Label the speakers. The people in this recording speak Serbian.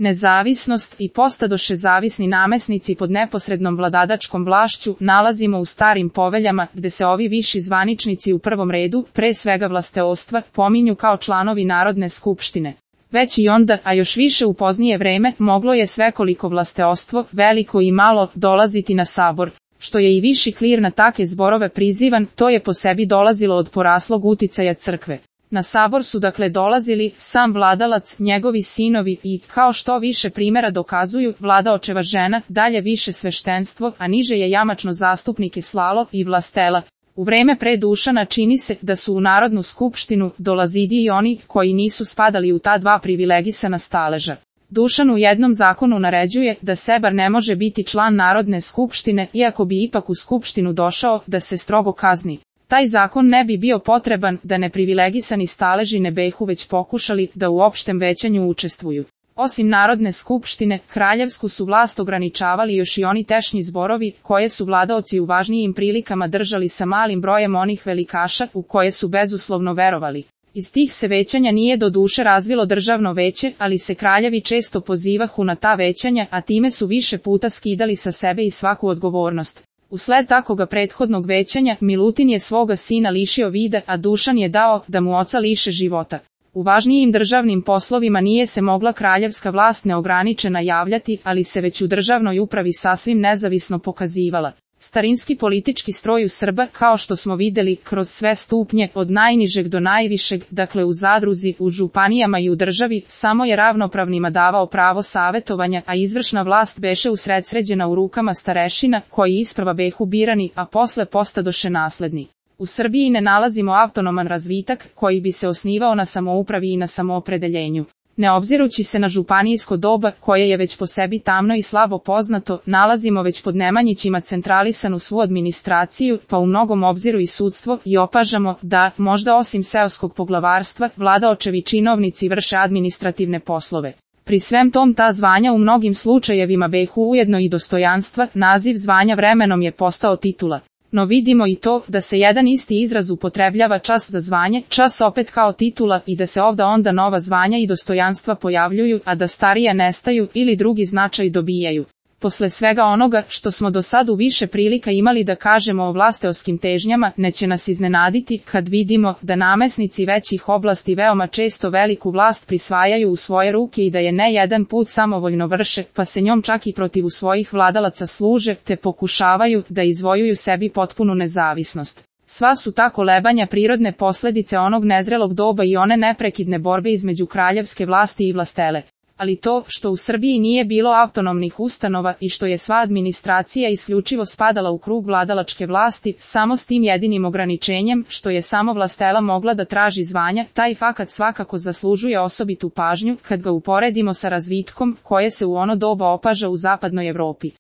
Speaker 1: Nezavisnost i postadoše zavisni namesnici pod neposrednom vladadačkom vlašću nalazimo u starim poveljama gde se ovi viši zvaničnici u prvom redu, pre svega vlasteostva, pominju kao članovi Narodne skupštine. Već i onda, a još više u poznije vreme, moglo je svekoliko vlasteostvo, veliko i malo, dolaziti na sabor. Što je i viši klir na take zborove prizivan, to je po sebi dolazilo od poraslog uticaja crkve. Na sabor su dakle dolazili sam vladalac, njegovi sinovi i, kao što više primjera dokazuju, vladaočeva žena, dalje više sveštenstvo, a niže je jamačno zastupnike slalo i vlastela. U vreme pre Dušana čini se da su u Narodnu skupštinu dolazidi i oni koji nisu spadali u ta dva privilegisana staleža. Dušan u jednom zakonu naređuje da sebar ne može biti član Narodne skupštine, iako bi ipak u skupštinu došao, da se strogo kazni. Taj zakon ne bi bio potreban da neprivilegisani staleži ne behu već pokušali da u opštem većanju učestvuju. Osim Narodne skupštine, kraljevsku su vlast ograničavali još i oni tešnji zborovi, koje su vladaoci u važnijim prilikama držali sa malim brojem onih velikaša u koje su bezuslovno verovali. Iz tih se većanja nije do duše razvilo državno veće, ali se kraljevi često pozivahu na ta većanja, a time su više puta skidali sa sebe i svaku odgovornost. Usled takoga prethodnog većanja, Milutin je svoga sina lišio vida, a Dušan je dao da mu oca liše života. U važnijim državnim poslovima nije se mogla kraljevska vlast neograničena javljati, ali se već u državnoj upravi sasvim nezavisno pokazivala. Starinski politički stroj u Srba, kao što smo vidjeli, kroz sve stupnje, od najnižeg do najvišeg, dakle u zadruzi, u županijama i u državi, samo je ravnopravnima davao pravo savetovanja, a izvršna vlast beše usredsređena u rukama starešina, koji isprva behu birani, a posle postadoše nasledni. U Srbiji ne nalazimo autonoman razvitak, koji bi se osnivao na samoupravi i na samoopredeljenju. Ne obzirući se na županijsko doba, koje je već po sebi tamno i slabo poznato, nalazimo već pod Nemanjićima centralisanu svu administraciju, pa u mnogom obziru i sudstvo, i opažamo da, možda osim seoskog poglavarstva, vladaočevi činovnici vrše administrativne poslove. Pri svem tom ta zvanja u mnogim slučajevima behu ujedno i dostojanstva, naziv zvanja vremenom je postao titula. No vidimo i to da se jedan isti izraz upotrebljava čas za zvanje, čas opet kao titula i da se ovda onda nova zvanja i dostojanstva pojavljuju, a da starija nestaju ili drugi značaj dobijaju. Posle svega onoga što smo do sad u više prilika imali da kažemo o vlasteoskim težnjama, neće nas iznenaditi kad vidimo da namesnici većih oblasti veoma često veliku vlast prisvajaju u svoje ruke i da je ne jedan put samovoljno vrše, pa se njom čak i protiv svojih vladalaca služe, te pokušavaju da izvojuju sebi potpunu nezavisnost. Sva su ta kolebanja prirodne posledice onog nezrelog doba i one neprekidne borbe između kraljevske vlasti i vlastele. Ali to što u Srbiji nije bilo autonomnih ustanova i što je sva administracija isključivo spadala u krug vladalačke vlasti, samo s tim jedinim ograničenjem, što je samo vlastela mogla da traži zvanja, taj fakat svakako zaslužuje osobitu pažnju kad ga uporedimo sa razvitkom koje se u ono doba opaža u zapadnoj Evropi.